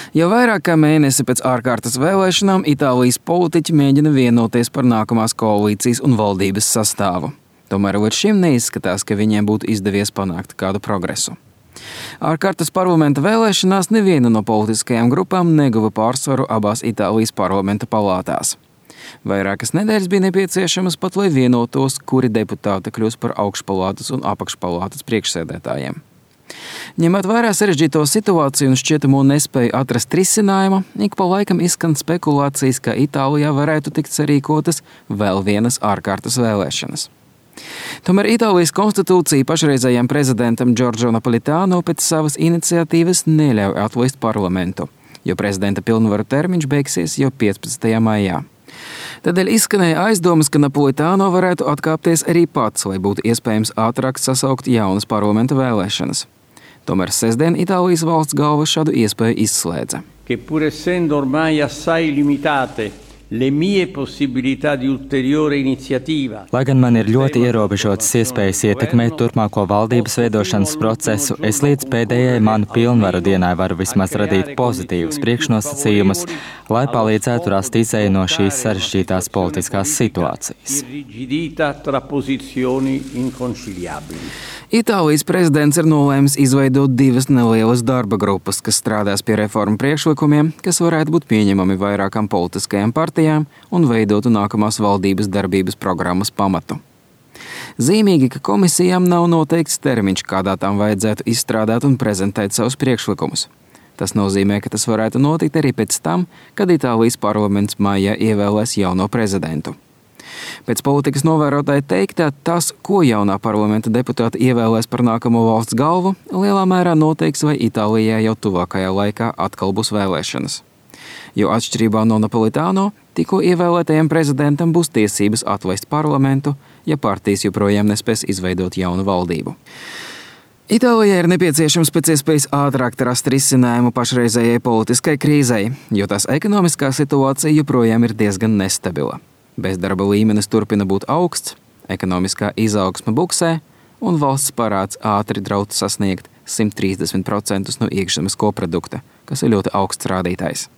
Jau vairāk kā mēnesi pēc ārkārtas vēlēšanām Itālijas politiķi mēģina vienoties par nākamās koalīcijas un valdības sastāvu. Tomēr līdz šim neizskatās, ka viņiem būtu izdevies panākt kādu progresu. Ārkārtas parlamenta vēlēšanās neviena no politiskajām grupām neguva pārsvaru abās Itālijas parlamenta palātās. Vairākas nedēļas bija nepieciešamas pat, lai vienotos, kuri deputāti kļūs par augšpalātas un apakšpalātas priekšsēdētājiem. Ņemot vērā sarežģīto situāciju un šķietamo nespēju atrast risinājumu, ik pa laikam izskan spekulācijas, ka Itālijā varētu tikt sarīkotas vēl vienas ārkārtas vēlēšanas. Tomēr Itālijas konstitūcija pašreizējam prezidentam Giorgio Napolitano pēc savas iniciatīvas neļauj atlaist parlamentu, jo prezidenta pilnvaru termiņš beigsies jau 15. maijā. Tādēļ izskanēja aizdomas, ka Napolitano varētu atkāpties arī pats, lai būtu iespējams ātrāk sasaukt jaunas parlamenta vēlēšanas. Tomēr sestdien Itālijas valsts galva šādu iespēju izslēdza. Pur essendo ormai assai limitate le mie possibilità di ulteriore iniziativa. Lai gan man ir ļoti ierobežotas iespējas ietekmēt turpmāko valdības veidošanas procesu, es līdz pēdējai manu pilnvaru dienai varu vismaz radīt pozitīvus priekšnosacījumus, lai palīdzētu rast izēju no šīs sarežģītās politiskās situācijas. Itālijas prezidents ir nolēmis izveidot 2 nelielas darba grupas, kas strādās pie reformu priekšlikumiem, kas varētu būt pieņemami vairākām politiskajām partijām un veidotu nākamās valdības darbības programmas pamatu. Zīmīgi, ka komisijām nav noteikts termiņš, kādā tām vajadzētu izstrādāt un prezentēt savus priekšlikumus. Tas nozīmē, ka tas varētu notikt arī pēc tam, kad Itālijas parlaments maijā ievēlēs jauno prezidentu. Pēc politikas novērotāja teiktā, tas, ko jaunā parlamenta deputāta ievēlēs par nākamo valsts galvu, lielā mērā noteiks, vai Itālijā jau tuvākajā laikā atkal būs vēlēšanas. Jo atšķirībā no Napolitano, tikko ievēlētajam prezidentam būs tiesības atlaist parlamentu, ja partijas joprojām nespēs izveidot jaunu valdību. Itālijai ir nepieciešams pēc iespējas ātrāk rast risinājumu pašreizējai politiskai krīzei, jo tās ekonomiskā situācija joprojām ir diezgan nestabila. Bezdarba līmenis turpina būt augsts, ekonomiskā izaugsme buksē un valsts parāds ātri draud sasniegt 130% no iekšzemes koprodukta, kas ir ļoti augsts rādītājs.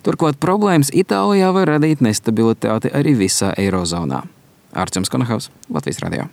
Turklāt problēmas Itālijā var radīt nestabilitāti arī visā Eirozonā. Arčuns Konahaus, Latvijas radio.